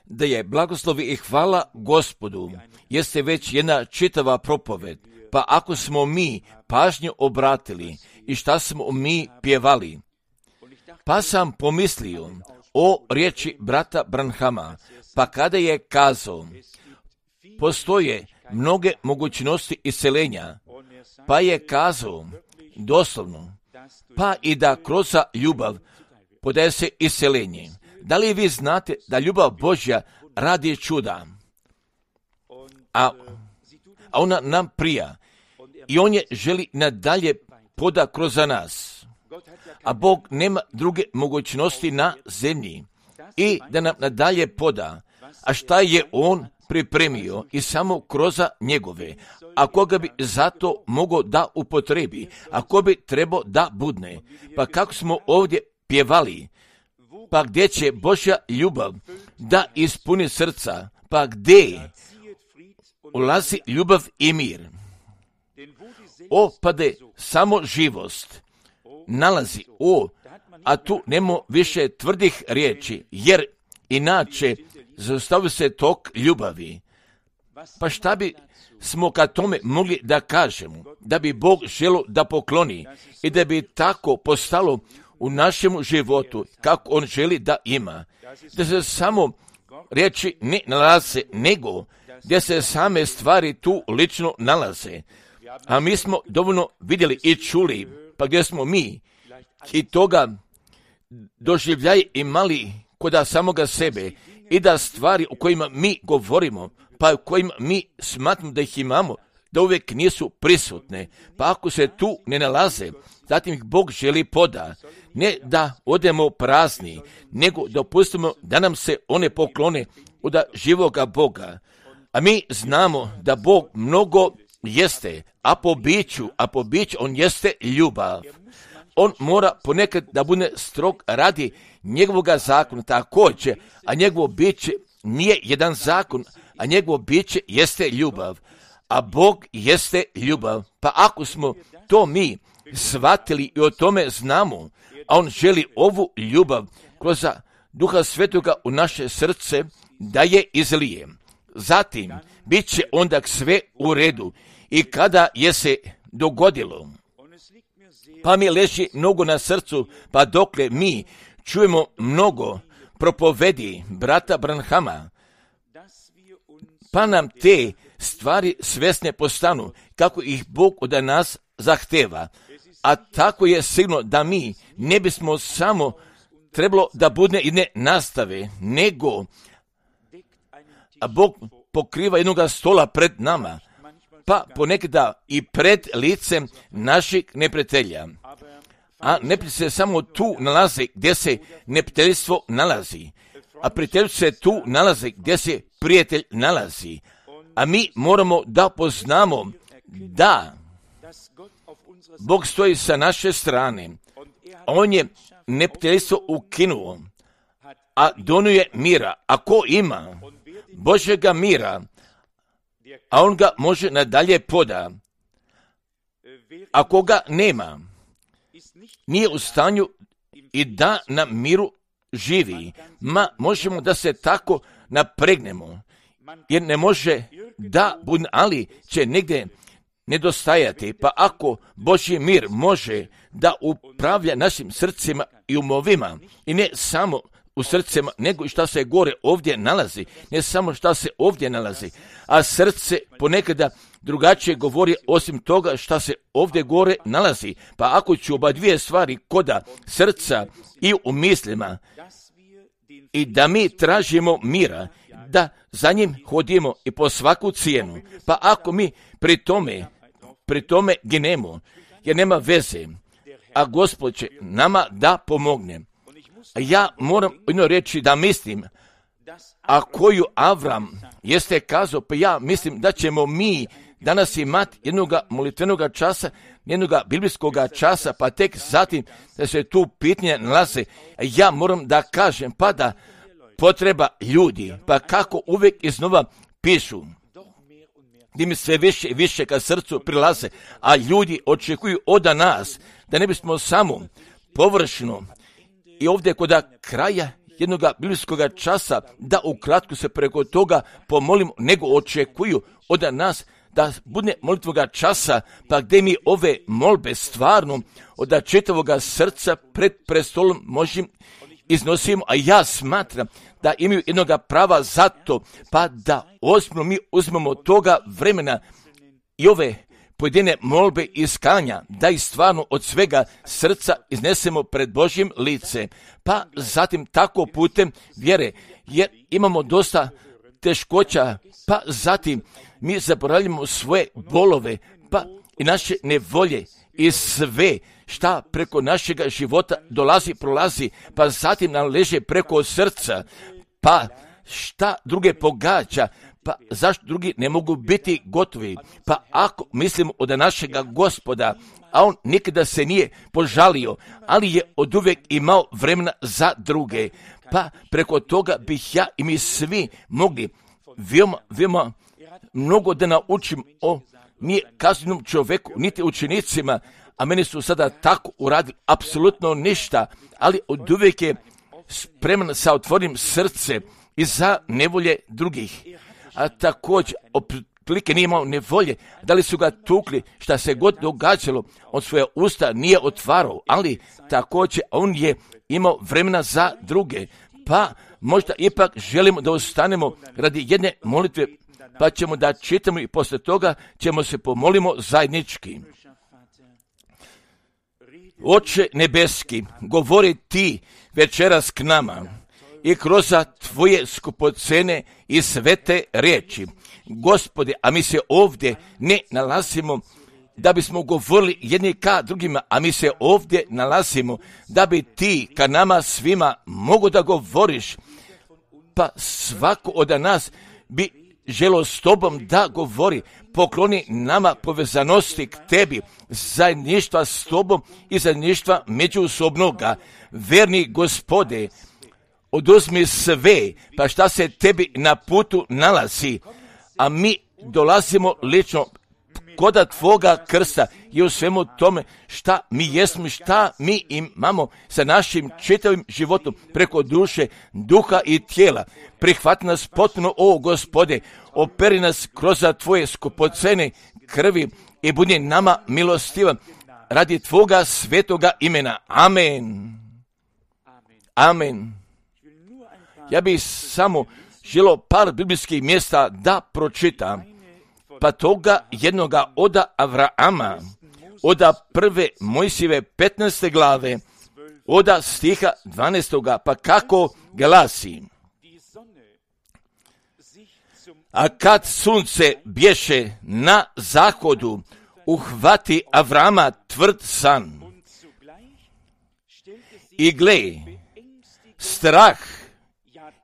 da je blagoslovi i hvala Gospodu, jeste već jedna čitava propoved. Pa ako smo mi pažnju obratili i šta smo mi pjevali, pa sam pomislio o riječi brata Branhama, pa kada je kazao, postoje mnoge mogućnosti iseljenja, pa je kazao doslovno, pa i da kroz ljubav podaje se iseljenje. Da li vi znate da ljubav Božja radi čuda? A ona nam prija i on je želi nadalje poda kroz nas. A Bog nema druge mogućnosti na zemlji i da nam nadalje poda. A šta je on pripremio i samo kroz njegove, a koga bi zato mogao da upotrebi, a ko bi trebao da budne. Pa kako smo ovdje pjevali, pa gdje će Božja ljubav da ispuni srca, pa gdje ulazi ljubav i mir. Opade samo živost nalazi, a tu nema više tvrdih riječi, jer inače zaustavi se tok ljubavi. Pa šta bi smo kad tome mogli da kažemo, da bi Bog želio da pokloni i da bi tako postalo u našem životu kako on želi da ima, da se samo riječi ne nalaze, nego gdje se same stvari tu lično nalaze. A mi smo dovoljno vidjeli i čuli, pa gdje smo mi i toga doživljaj imali kod samoga sebe i da stvari u kojima mi govorimo, pa u kojima mi smatramo da ih imamo, da uvijek nisu prisutne, pa ako se tu ne nalaze, zatim ih Bog želi poda, ne da odemo prazni, nego da pustimo da nam se one poklone od živoga Boga. A mi znamo da Bog mnogo jeste, a po biću on jeste ljubav. On mora ponekad da bude strog radi njegovoga zakona također, a njegovo biće nije jedan zakon, a njegovo biće jeste ljubav. A Bog jeste ljubav. Pa ako smo to mi shvatili i o tome znamo, a on želi ovu ljubav kroz Duha Svetoga u naše srce da je izlije. Zatim, bit će onda sve u redu. I kada je se dogodilo, pa mi leži mnogo na srcu, pa dokle mi čujemo mnogo propovedi brata Branhama, pa nam te stvari svjesne postanu, kako ih Bog od nas zahteva. A tako je sigurno da mi ne bismo samo trebalo da bude i ne nastave, nego Bog pokriva jednoga stola pred nama, pa ponekada i pred licem naših neprijatelja. A neprijatelj se samo tu nalazi gdje se neprijateljstvo nalazi, a prijateljstvo se tu nalazi gdje se prijatelj nalazi. A mi moramo da poznamo da Bog stoji sa naše strane. On je neprijateljstvo ukinuo, a donio je mira. A ko ima Božjega mira, a on ga može nadalje poda. A koga nema, nije u stanju i da na miru živi. Možemo da se tako napregnemo, jer ne može da bude, ali će negdje nedostajati. Pa ako Božji mir može da upravlja našim srcima i umovima, i ne samo u srcima, nego i šta se gore ovdje nalazi, ne samo šta se ovdje nalazi, a srce ponekada drugačije govori osim toga šta se ovdje gore nalazi. Pa ako ću oba dvije stvari koda srca i u mislima, i da mi tražimo mira, da za njim hodimo i po svaku cijenu, pa ako mi pri tome ginemo, jer nema veze, a Gospod će nama da pomogne. Ja moram jedno reći da mislim, a koju Avram jeste kazao, pa ja mislim da ćemo mi danas imati jednoga molitvenoga časa, jednoga biblijskoga časa, pa tek zatim da se tu pitanje nalaze. Ja moram da kažem, pa da potreba ljudi, pa kako uvijek iznova pišu, gdje mi sve više i više ka srcu prilaze, a ljudi očekuju od nas da ne bismo samo površno i ovdje kod kraja jednoga biblijskog časa da ukratko se preko toga pomolimo, nego očekuju od nas da bude molitvoga časa, pa gdje mi ove molbe stvarno od čitavoga srca pred prestolom možemo iznosimo, a ja smatram da imaju jednoga prava za to, pa da ozbiljno mi uzmemo toga vremena i ove pojedine molbe iskanja, da ih stvarno od svega srca iznesemo pred Božjim lice, pa zatim tako putem vjere, jer imamo dosta teškoća, pa zatim mi zaboravljamo svoje bolove, pa i naše nevolje i sve šta preko našega života prolazi, pa zatim nam leže preko srca, pa šta druge pogađa, pa zašto drugi ne mogu biti gotovi? Pa ako mislimo od našega Gospoda, a on nikada se nije požalio, ali je oduvijek imao vremena za druge, pa preko toga bih ja i mi svi mogli veoma mnogo da naučim o nije kaznenom čovjeku, niti učenicima, a meni su sada tako uradili apsolutno ništa, ali oduvijek je spreman sa otvorenim srce i za nevolje drugih. A također, otprilike nije imao nevolje, da li su ga tukli, šta se god događalo, on svoje usta nije otvarao, ali također on je imao vremena za druge. Pa možda ipak želimo da ostanemo radi jedne molitve, pa ćemo da čitamo i poslije toga ćemo se pomolimo zajednički. Oče nebeski, govori ti večeras k nama i kroz tvoje skupocene i svete riječi. Gospode, a mi se ovdje ne nalazimo da bismo govorili jedni ka drugima, a mi se ovdje nalazimo da bi ti ka nama svima mogo da govoriš, pa svako od nas bi želo s tobom da govori. Pokloni nama povezanosti k tebi, zajedništva s tobom i zajedništva međusobnoga. Verni Gospode, oduzmi sve, pa šta se tebi na putu nalazi, a mi dolazimo lično koda tvoga krsta i u svemu tome šta mi jesmo, šta mi imamo sa našim čitavim životom preko duše, duha i tijela. Prihvati nas potpuno, o Gospode, operi nas kroz tvoje skupocene krvi i budi nama milostivan radi tvoga svetoga imena. Amen. Amen. Ja bih samo želio par biblijskih mjesta da pročitam, pa toga jednoga od Avrama, od prve Mojsijeve 15. glave, od stiha 12. pa kako glasi: a kad sunce bješe na zahodu, uhvati Avrama tvrd san. I gle, strah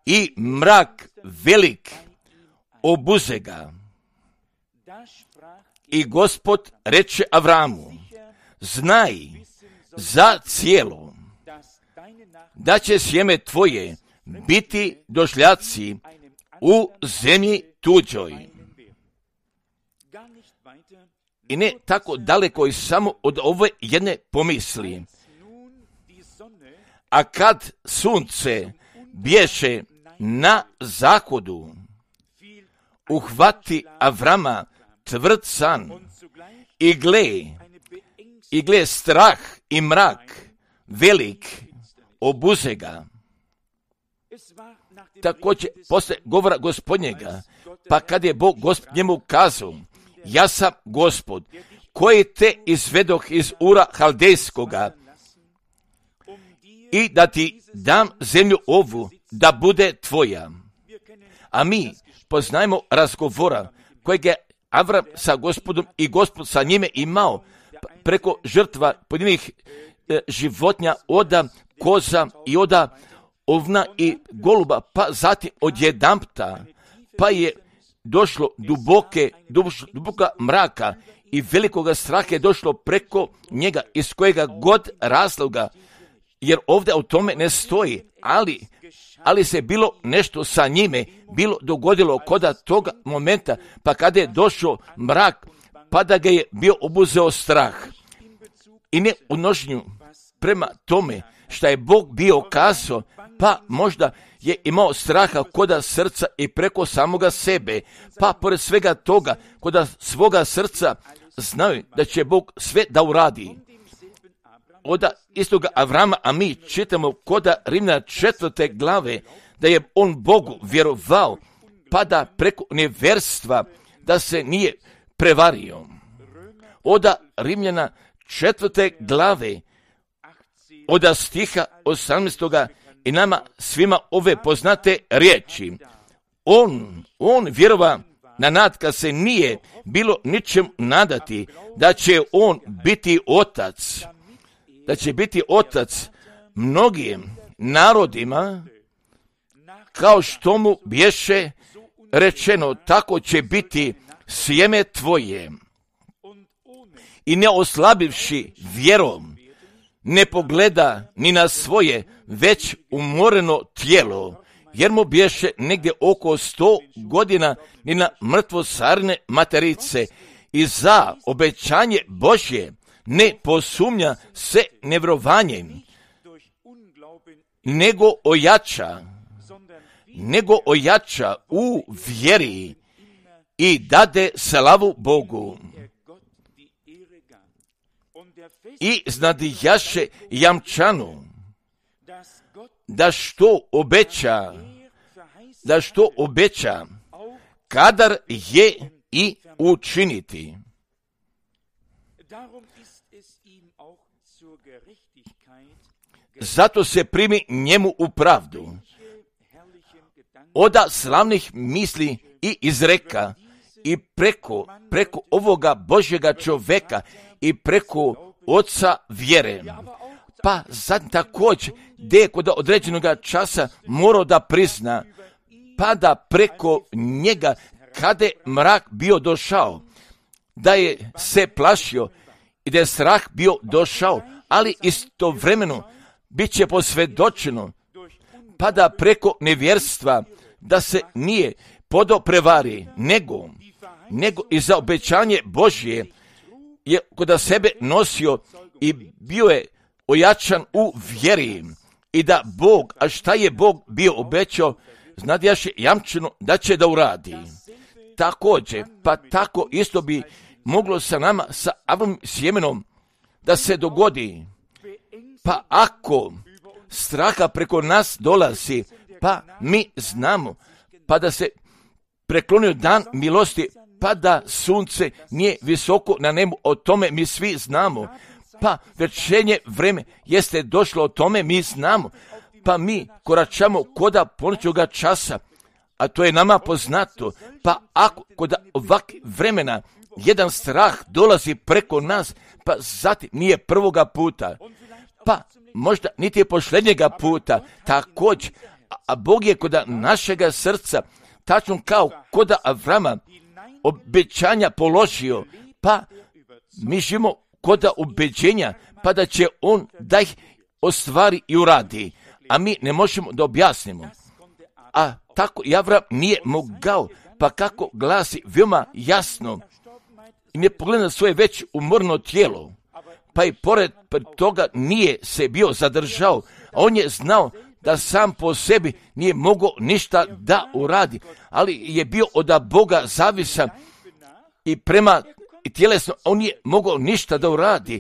i mrak velik obuze ga. I Gospod reče Avramu: znaj za cijelo da će sjeme tvoje biti došljaci u zemlji tuđoj. I ne tako daleko i samo od ove jedne pomisli. A kad sunce bješe na zahodu, uhvati Avrama tvrd san i gle strah i mrak velik obuze ga. Također posle govora Gospodnjega, pa kad je Bog Gospod njemu kazao: ja sam Gospod koji te izvedoh iz Ura Haldejskoga i da ti dam zemlju ovu da bude tvoja. A mi poznajemo razgovora kojeg je Avram sa Gospodom i Gospod sa njime imao preko žrtva pojedinih životinja, od koza i od ovna i goluba, pa zatim odjedanputa, pa je došlo duboka mraka i velikoga straha je došlo preko njega, iz kojega god razloga, jer ovdje o tome ne stoji, ali se bilo nešto sa njime bilo dogodilo koda toga momenta, pa kada je došao mrak, pa da ga je bio obuzeo strah. I ne u nožnju prema tome što je Bog bio kazao, pa možda je imao straha koda srca i preko samoga sebe, pa pored svega toga, koda svoga srca znaju da će Bog sve da uradi. Oda istoga Avrama, a mi čitamo koda Rimljana 4. glave, da je on Bogu vjerovao, pa da preko nevjerstva da se nije prevario. Oda Rimljana 4. glave, oda stiha 18. i nama svima ove poznate riječi. On vjerova na nad kad se nije bilo ničem nadati da će on biti otac, da će biti otac mnogim narodima, kao što mu bješe rečeno, tako će biti sjeme tvoje. I ne oslabivši vjerom, ne pogleda ni na svoje već umoreno tijelo, jer mu bješe negdje oko 100 godina ni na mrtvosarne materice, i za obećanje Božje ne posumnja se nevjerovanjem, nego ojača u vjeri i dade slavu Bogu. I znadijaše jamčanu, da što obeća, kadar je i učiniti. Zato se primi njemu u pravdu. Oda slavnih misli i izreka i preko ovoga Božjega čovjeka i preko oca vjere. Pa sad također gdje kod određenog časa morao da prizna, pa da preko njega kada je mrak bio došao, da je se plašio i da je strah bio došao, ali istovremeno bit će posvjedočeno, pa da preko nevjerstva da se nije podoprevari, nego i za obećanje Božje je kod sebe nosio i bio je ojačan u vjeri, i da Bog, a šta je Bog bio obećao, znadjaše jamčeno da će da uradi. Također, pa tako isto bi moglo sa nama, sa Avramovim sjemenom, da se dogodi. Pa ako straha preko nas dolazi, pa mi znamo, pa da se preklonio dan milosti, pa da sunce nije visoko na nebu, o tome mi svi znamo. Pa večernje vreme jeste došlo, o tome mi znamo. Pa mi koračamo koda ponoćnoga časa, a to je nama poznato. Pa ako kod ovakvih vremena jedan strah dolazi preko nas, pa zatim nije prvoga puta, pa možda niti je posljednjega puta, također, a Bog je kod našega srca, tačno kao kod Avrama, obećanja položio, pa mi živimo kod ubeđenja, pa da će on da ih ostvari i uradi, a mi ne možemo da objasnimo. A tako i Avram nije mogao, pa kako glasi veoma jasno, i ne pogleda svoje već umorno tijelo, pa i pored toga nije se bio zadržao, a on je znao da sam po sebi nije mogao ništa da uradi, ali je bio od Boga zavisan i prema tjelesno on nije mogao ništa da uradi,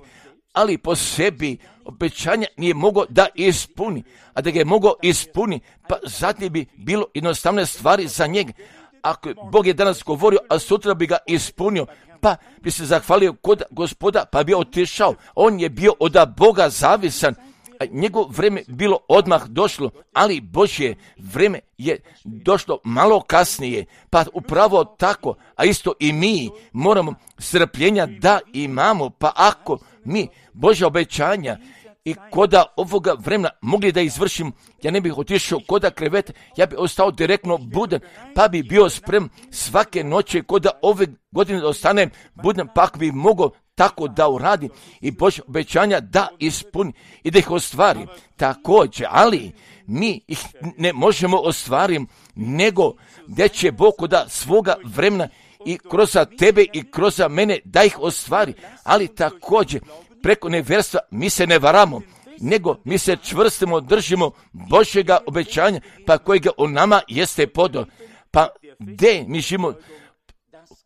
ali po sebi obećanja nije mogao da ispuni, a da ga je mogao ispuni, pa zatim bi bilo jednostavne stvari za njega. Ako Bog je danas govorio, a sutra bi ga ispunio, pa bi se zahvalio kod Gospoda, pa bi otišao. On je bio od Boga zavisan, a njegov vreme bilo odmah došlo, ali Božje vreme je došlo malo kasnije, pa upravo tako, a isto i mi moramo strpljenja da imamo, pa ako mi Božja obećanja i koda ovoga vremena mogli da izvršim, ja ne bih otišao koda kreveta, ja bih ostao direktno budan, pa bi bio sprem svake noći koda ove godine da ostanem budan, pa ako bi mogao tako da uradi i Božja obećanja da ispuni i da ih ostvari. Također, ali mi ih ne možemo ostvariti, nego gdje će Bog koda svoga vremena i kroz tebe i kroz mene da ih ostvari, ali također preko nevjerstva mi se ne varamo, nego mi se čvrstimo držimo Božjega obećanja, pa kojega u nama jeste podo. Pa gdje mi živimo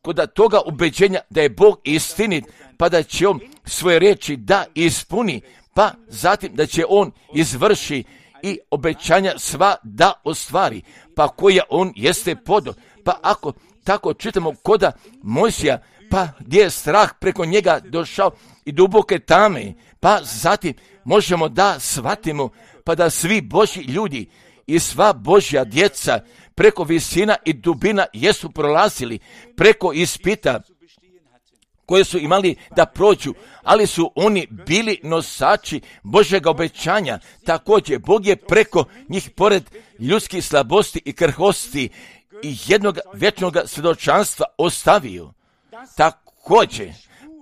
kod toga ubeđenja da je Bog istinit, pa da će On svoje riječi da ispuni, pa zatim da će On izvrši i obećanja sva da ostvari, pa koja On jeste podo. Pa ako tako čitamo koda Mojsija, pa gdje je strah preko njega došao i duboke tame, pa zatim možemo da shvatimo, pa da svi Božji ljudi i sva Božja djeca preko visina i dubina jesu prolazili, preko ispita koje su imali da prođu, ali su oni bili nosači Božjega obećanja. Također, Bog je preko njih, pored ljudskih slabosti i krhosti, i jednog vječnog svjedočanstva ostavio. Također,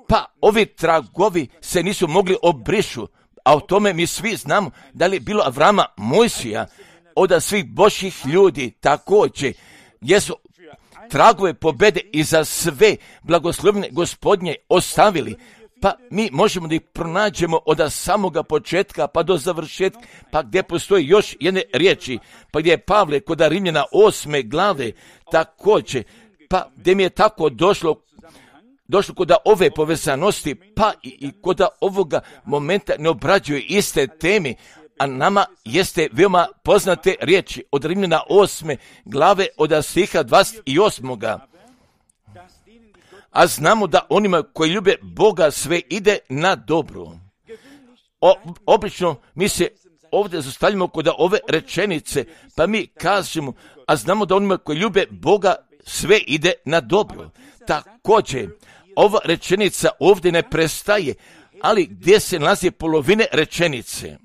pa ovi tragovi se nisu mogli obrišu, a o tome mi svi znamo da li je bilo Avrama, Mojsija, od svih Božjih ljudi također, jesu tragove pobjede i za sve blagoslovne Gospodnje ostavili, pa mi možemo da ih pronađemo od samoga početka pa do završetka, pa gdje postoji još jedne riječi, pa gdje je Pavle kod Rimljana 8. glave također, pa gdje mi je tako došlo kod ove povezanosti, pa i kod ovoga momenta ne obrađuje iste teme, a nama jeste veoma poznate riječi od Rimljana 8. glave od stiha 28. A znamo da onima koji ljube Boga sve ide na dobro. Obično mi se ovdje zastavljamo kod ove rečenice, pa mi kažemo, a znamo da onima koji ljube Boga sve ide na dobro. Također, ova rečenica ovdje ne prestaje, ali gdje se nalazi polovine rečenice?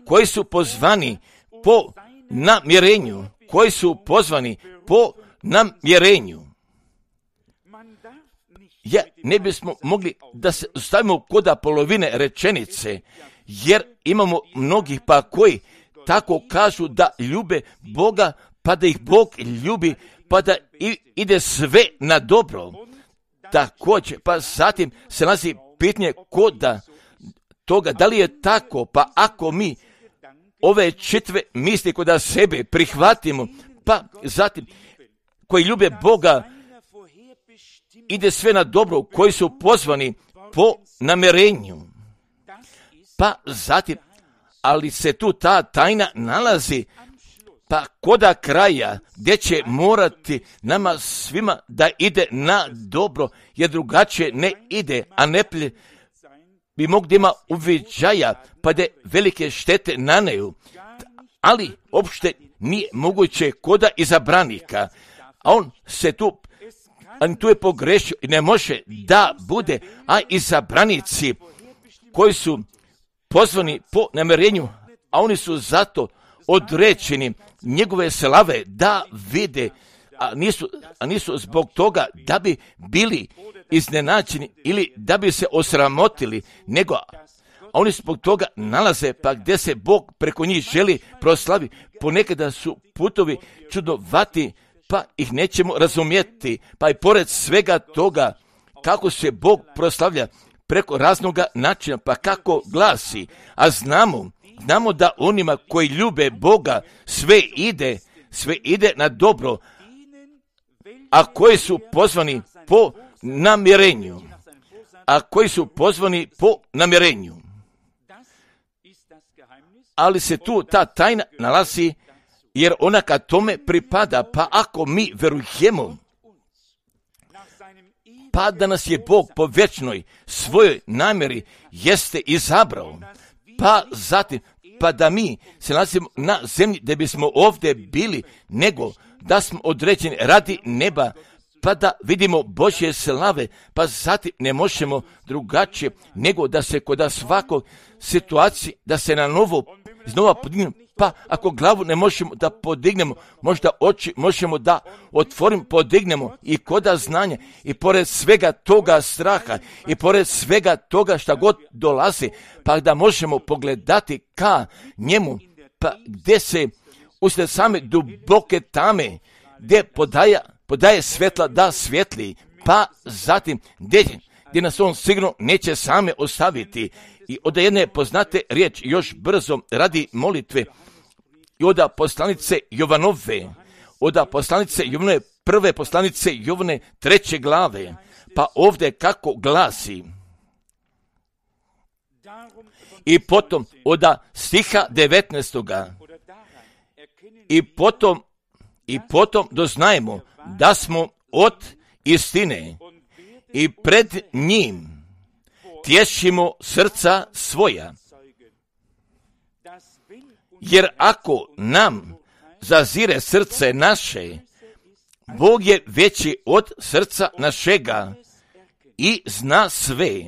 Koji su pozvani po namjerenju, koji su pozvani po namjerenju. Ja ne bismo mogli da se stavimo kod polovine rečenice, jer imamo mnogih pa koji tako kažu da ljube Boga, pa da ih Bog ljubi, pa da ide sve na dobro. Također, pa zatim se nalazi pitanje koda toga, da li je tako, pa ako mi ove čitve misli kod sebe prihvatimo, pa zatim koji ljube Boga ide sve na dobro, koji su pozvani po namjerenju. Pa zatim, ali se tu ta tajna nalazi, pa koda kraja, gdje će morati nama svima da ide na dobro, jer drugačije ne ide, a ne bi mogli ima uviđaja, pa da velike štete naneju, ali uopšte nije moguće koda izabranika, a on se tu je pogrešio i ne može da bude, a izabranici koji su pozvani po namjerenju, a oni su zato određeni njegove slave da vide, a nisu zbog toga da bi bili iznenađeni ili da bi se osramotili, nego oni zbog toga nalaze pa gdje se Bog preko njih želi proslavi. Ponekada su putovi čudnovati, pa ih nećemo razumjeti, pa i pored svega toga kako se Bog proslavlja preko raznoga načina, pa kako glasi, a znamo da onima koji ljube Boga sve ide na dobro, a koji su pozvani po namjerenju. Ali se tu ta tajna nalazi, jer ona kad tome pripada, pa ako mi verujemo, pa da nas je Bog po vječnoj svojoj namjeri jeste izabrao, pa zatim, pa da mi se nalazimo na zemlji da bismo ovdje bili, nego da smo određeni radi neba, pa da vidimo Božje slave, pa zatim ne možemo drugačije, nego da se kod svakog situacije, da se na novo iznova podignemo, pa ako glavu ne možemo da podignemo, možda oči možemo da otvorimo, podignemo i koda znanja, i pored svega toga straha, i pored svega toga šta god dolazi, pa da možemo pogledati ka njemu, pa gdje se usred same duboke tame, gdje podaje svetla da svijetli, pa zatim gdje gdje nas on sigurno neće same ostaviti. I od jedne poznate riječ još brzo radi molitve i od poslanice Jovanove, od poslanice Jovane, prve poslanice Jovane 3. glave, pa ovdje kako glasi. I potom od stiha 19. I potom doznajemo da smo od istine i pred njim tješimo srca svoja. Jer ako nam zazire srce naše, Bog je veći od srca našega i zna sve.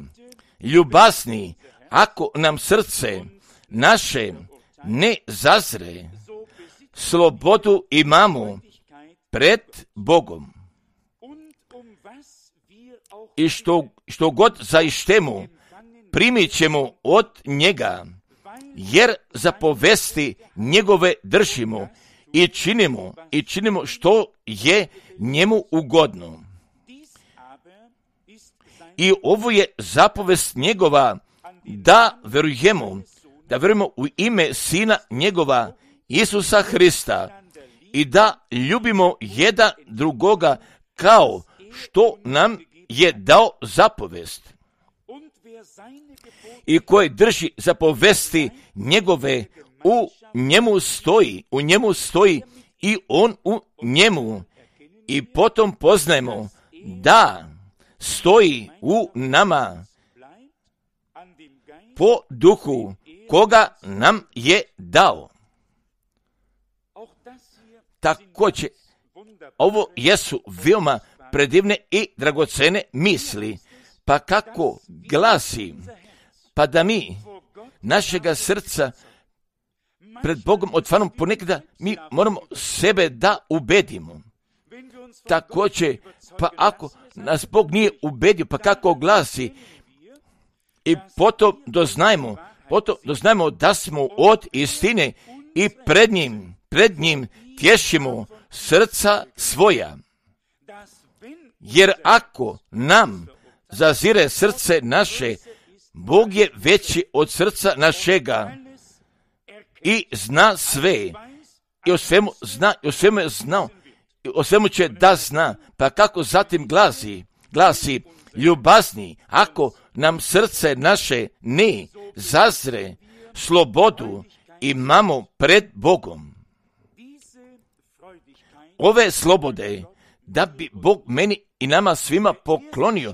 Ljubazni, ako nam srce naše ne zazre, slobodu imamo pred Bogom. I što god zaištemo, primit ćemo od njega, jer zapovesti njegove držimo i činimo što je njemu ugodno. I ovo je zapovest njegova, da verujemo u ime Sina njegova, Isusa Hrista, i da ljubimo jedan drugoga kao što nam je dao zapovest. I koji drži zapovesti njegove, u njemu stoji i on u njemu. I potom poznajemo da stoji u nama po duhu koga nam je dao. Također, ovo jesu veoma predivne i dragocene misli. Pa kako glasi, pa da mi našega srca pred Bogom otvaramo, ponekada mi moramo sebe da ubedimo. Također, pa ako nas Bog nije ubedio, pa kako glasi, i potom doznajmo da smo od istine i pred njim tješimo srca svoja. Jer ako nam zazire srce naše, Bog je veći od srca našega i zna sve. I o svemu zna, i o svemu je znao, i o svemu će da zna. Pa kako zatim glasi, ljubazni, ako nam srce naše ne zazre, slobodu imamo pred Bogom. Ove slobode, da bi Bog meni i nama svima poklonio,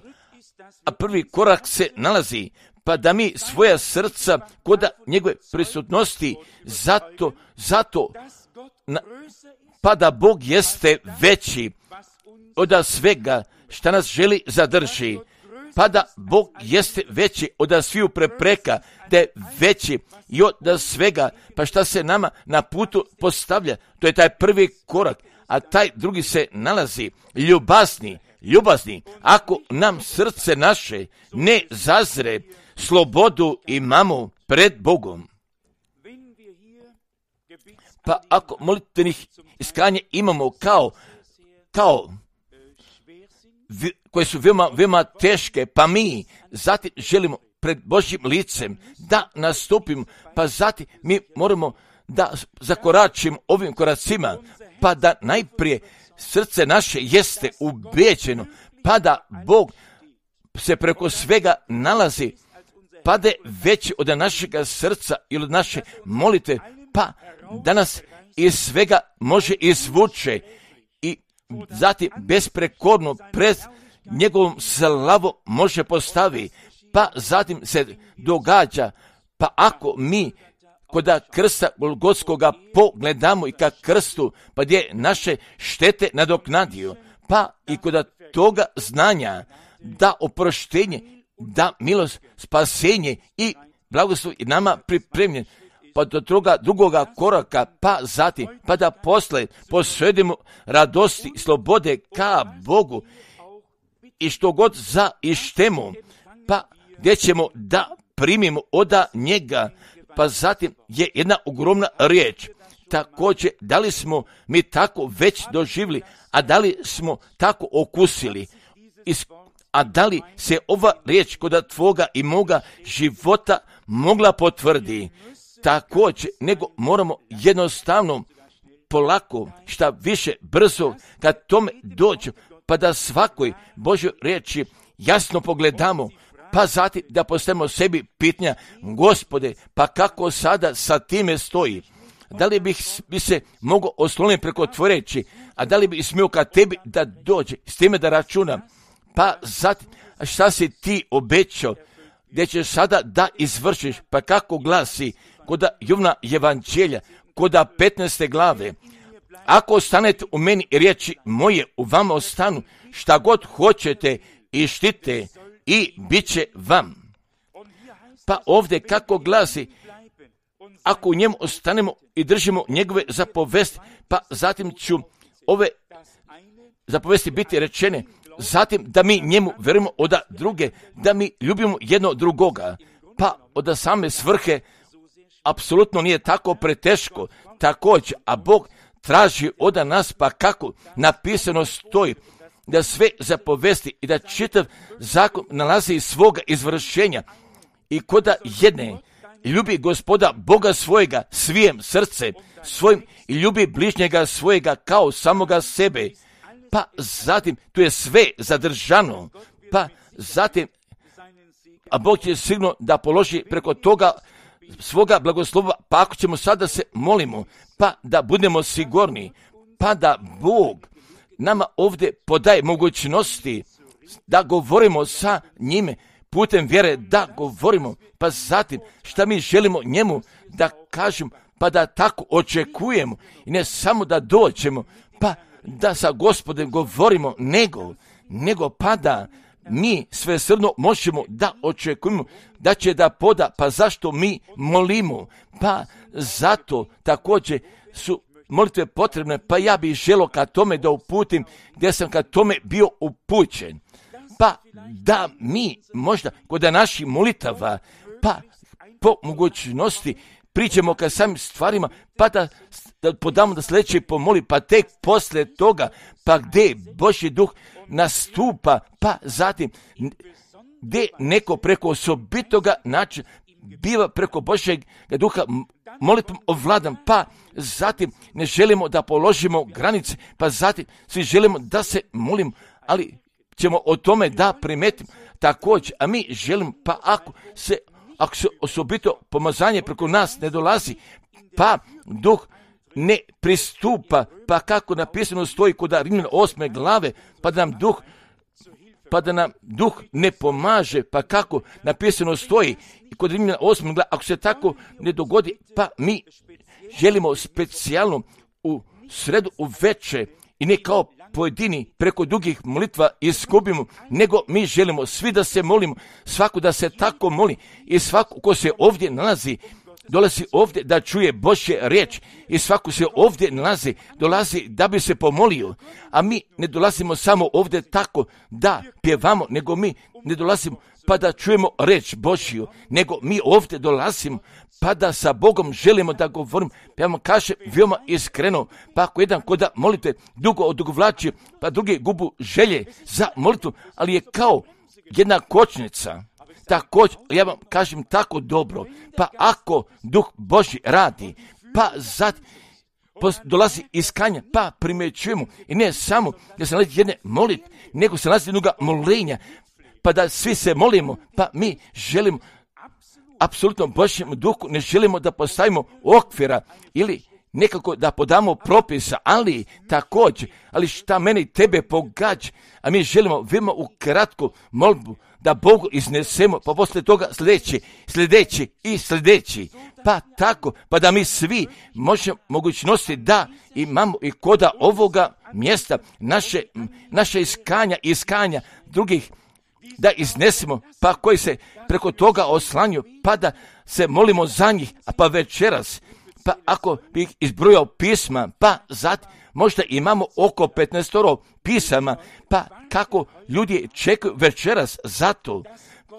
a prvi korak se nalazi, pa da mi svoja srca kod njegove prisutnosti, pa da Bog jeste veći od svega šta nas želi zadrži, pa da Bog jeste veći od sviju prepreka, da je veći i od svega, pa šta se nama na putu postavlja, to je taj prvi korak, a taj drugi se nalazi, ljubazni, ako nam srce naše ne zazre, slobodu imamo pred Bogom. Pa ako molitvenih iskanja imamo koje su veoma teške, pa mi zatim želimo pred Božjim licem da nastupimo, pa zatim mi moramo da zakoračimo ovim koracima, pa da najprije srce naše jeste ubeđeno, pa da Bog se preko svega nalazi, pa da je veći od našega srca ili od naše molite, pa da nas iz svega može izvuče i zatim besprekorno pred njegovom slavom može postavi, pa zatim se događa, pa ako mi kod krsta Golgotskoga pogledamo i ka krstu, pa gdje naše štete nadoknadio, pa i kod toga znanja da oproštenje, da milost, spasenje i blagoslov i nama pripremljen, pa do toga drugoga koraka, pa zatim, pa da posle posvedimo radosti i slobode ka Bogu i što god zaištemo, pa gdje ćemo da primimo od njega, pa zatim je jedna ogromna riječ. Također, da li smo mi tako već doživjeli, a da li smo tako okusili a da li se ova riječ kod tvoga i moga života mogla potvrdi? Također, nego moramo jednostavno, polako, šta više brzo, kad tome dođe, pa da svakoj Božoj riječi jasno pogledamo, pa zatim da postavimo sebi pitanja, Gospode, pa kako sada sa time stoji? Da li bi se mogao osloniti preko tvoje riječi, a da li bi smio ka tebi da dođe, s time da računa? Pa zatim, šta si ti obećao, gdje ćeš sada da izvršiš, pa kako glasi kod Jovana evanđelja, kod 15. glave, ako ostanete u meni i riječi moje u vama ostanu, šta god hoćete i štite i bit će vam. Pa ovdje kako glasi, ako u njemu ostanemo i držimo njegove zapovesti, pa zatim ću ove zapovesti biti rečene, zatim da mi njemu verujemo od druge, da mi ljubimo jedno drugoga, pa od same svrhe apsolutno nije tako preteško, također, a Bog traži od nas, pa kako napisano stoji, da sve zapovesti i da čitav zakon nalazi iz svoga izvršenja i koda jedne ljubi Gospoda Boga svojega svijem srce svojim i ljubi bližnjega svojega kao samoga sebe. Pa zatim tu je sve zadržano, pa zatim a Bog će sigurno da položi preko toga svoga blagoslova, pa ako ćemo sada se molimo, pa da budemo sigurni, pa da Bog nama ovdje podaje mogućnosti da govorimo sa njime putem vjere, da govorimo, pa zatim šta mi želimo njemu da kažemo, pa da tako očekujemo i ne samo da dođemo, pa da sa Gospodem govorimo, nego pa da mi svesrdno možemo da očekujemo da će da poda, pa zašto mi molimo, pa zato također su molitve potrebne, pa ja bih želio ka tome da uputim gdje sam ka tome bio upućen, pa da mi možda kod naših molitava, pa po mogućnosti priđemo ka samim stvarima, pa da podamo da sljedeće pomoli, pa tek poslije toga, pa gdje Božji duh nastupa, pa zatim gdje neko preko osobitoga načina biva preko Božjeg duha molitvom ovladan, pa zatim ne želimo da položimo granice, pa zatim svi želimo da se molimo, ali ćemo o tome da primetimo također, a mi želimo, pa ako se osobito pomazanje preko nas ne dolazi, pa duh ne pristupa, pa kako napisano stoji kod Rimljana 8. glave, pa da nam duh ne pomaže, pa kako napisano stoji kod Rimljana 8. glave, ako se tako ne dogodi, pa mi želimo specijalno u sredu u večer i ne kao pojedini preko dugih molitva izgubimo, nego mi želimo svi da se molimo, svako da se tako moli i svako ko se ovdje nalazi, dolazi ovdje da čuje Božje riječ i svako se ovdje dolazi da bi se pomolio, a mi ne dolazimo samo ovdje tako da pjevamo, nego mi ne dolazimo pa da čujemo riječ Božju, nego mi ovdje dolazimo pa da sa Bogom želimo da govorimo. Ja vam kažem veoma iskreno, pa ako jedan koda molite dugo odugovlači, pa drugi gubu želje za molitvu, ali je kao jedna kočnica. Također, ja vam kažem tako dobro, pa ako Duh Božji radi, pa zatim dolazi iskanja, pa primjećujemo i ne samo da se nalazi jedne molitve, nego se nalazi jednoga molenja, pa da svi se molimo, pa mi želimo apsolutno Božjem duhu, ne želimo da postavimo okvira ili nekako da podamo propisa, ali također, ali šta mene i tebe pogađa, a mi želimo veoma u kratku molbu da Bogu iznesemo, pa poslije toga sljedeći, pa tako, pa da mi svi možemo mogućnosti da imamo i koda ovoga mjesta naše iskanja drugih da iznesemo, pa koji se preko toga oslanju, pa da se molimo za njih, a pa večeras, pa ako bih izbrojao pisma, pa zatim možda imamo oko 15 pisama, pa kako ljudi čekaju večeras zato,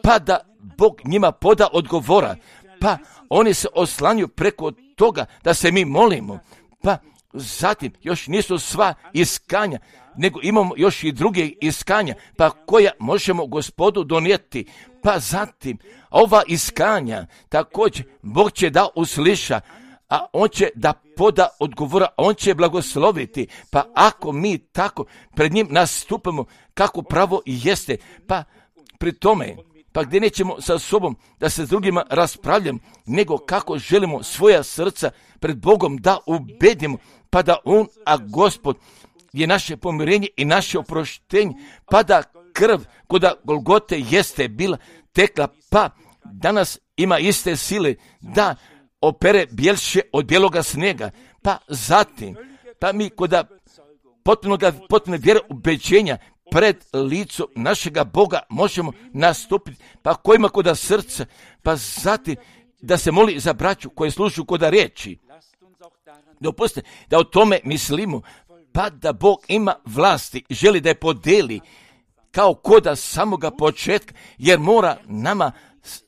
pa da Bog njima poda odgovora, pa oni se oslanju preko toga da se mi molimo, pa zatim još nisu sva iskanja, nego imamo još i druge iskanja, pa koja možemo Gospodu donijeti. Pa zatim, ova iskanja također Bog će da usliša, a On će da poda odgovora, On će blagosloviti. Pa ako mi tako pred njim nastupamo kako pravo i jeste, pa pri tome, pa gdje nećemo sa sobom da se s drugima raspravljamo, nego kako želimo svoja srca pred Bogom da ubedimo, pa da On, a Gospod, je naše pomirenje i naše oproštenje, pa da krv koda Golgote jeste bila tekla, pa danas ima iste sile da opere bjelše od bijeloga snijega. Pa zatim, pa mi koda potpuno vjere ubeđenja pred licom našega Boga možemo nastupiti, pa kojima koda srca, pa zatim da se moli za braću koje slušaju koda riječi. Dopustite da o tome mislimo, pa da Bog ima vlasti i želi da je podeli kao koda samoga početka, jer mora nama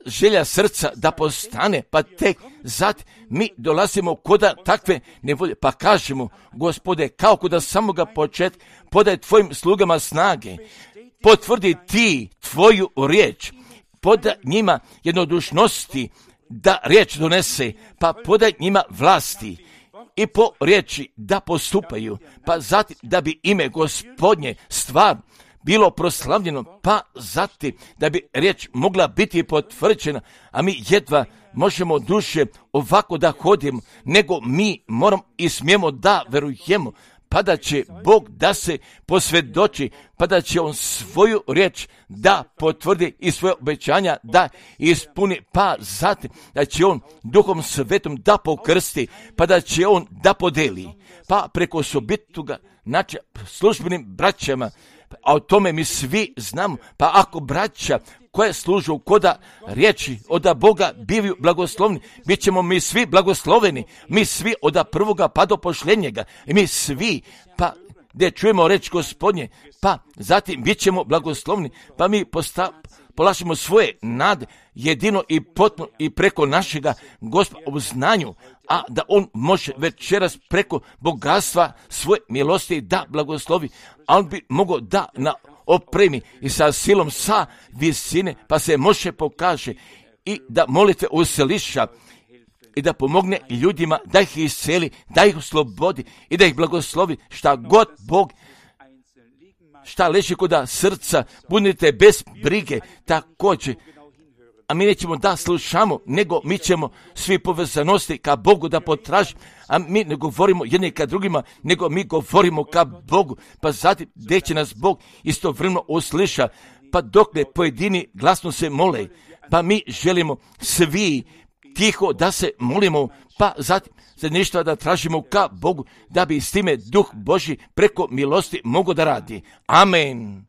želja srca da postane, pa tek zatim mi dolazimo koda takve nevolje, pa kažemo, Gospode, kao koda samoga početka, podaj tvojim slugama snage, potvrdi ti tvoju riječ, podaj njima jednodušnosti da riječ donese, pa podaj njima vlasti i po riječi da postupaju, pa zatim da bi ime Gospodnje stvar bilo proslavljeno, pa zatim da bi riječ mogla biti potvrđena, a mi jedva možemo duše ovako da hodimo, nego mi moramo i smijemo da verujemo, pa da će Bog da se posvjedoči, pa da će On svoju riječ da potvrdi i svoje obećanja da ispuni, pa zatim da će On Duhom Svetom da pokrsti, pa da će On da podeli, pa preko sobituga znači službenim braćama, a o tome mi svi znamo, pa ako braća koje služu koda riječi od Boga bivaju blagoslovni, bit ćemo mi svi blagosloveni, mi svi od prvoga pa do posljednjega, i mi svi, pa gdje čujemo reč Gospodnje, pa zatim bit ćemo blagoslovni, pa mi polažemo svoje nade jedino i potpuno i preko našega Gospoda u znanju, a da On može večeras preko bogatstva svoje milosti da blagoslovi, a On bi mogao da na opremi i sa silom sa visine, pa se može pokaže i da molitve usliša i da pomogne ljudima, da ih isceli, da ih oslobodi i da ih blagoslovi šta god Bog, šta leži koda srca, budite bez brige također. A mi nećemo da slušamo, nego mi ćemo svi povezanosti ka Bogu da potraži, a mi ne govorimo jedni ka drugima, nego mi govorimo ka Bogu, pa zatim gdje će nas Bog istovremeno usliša, pa dokle pojedini glasno se mole, pa mi želimo svi tiho da se molimo, pa zatim za ništa da tražimo ka Bogu, da bi s time Duh Božji preko milosti mogo da radi. Amen.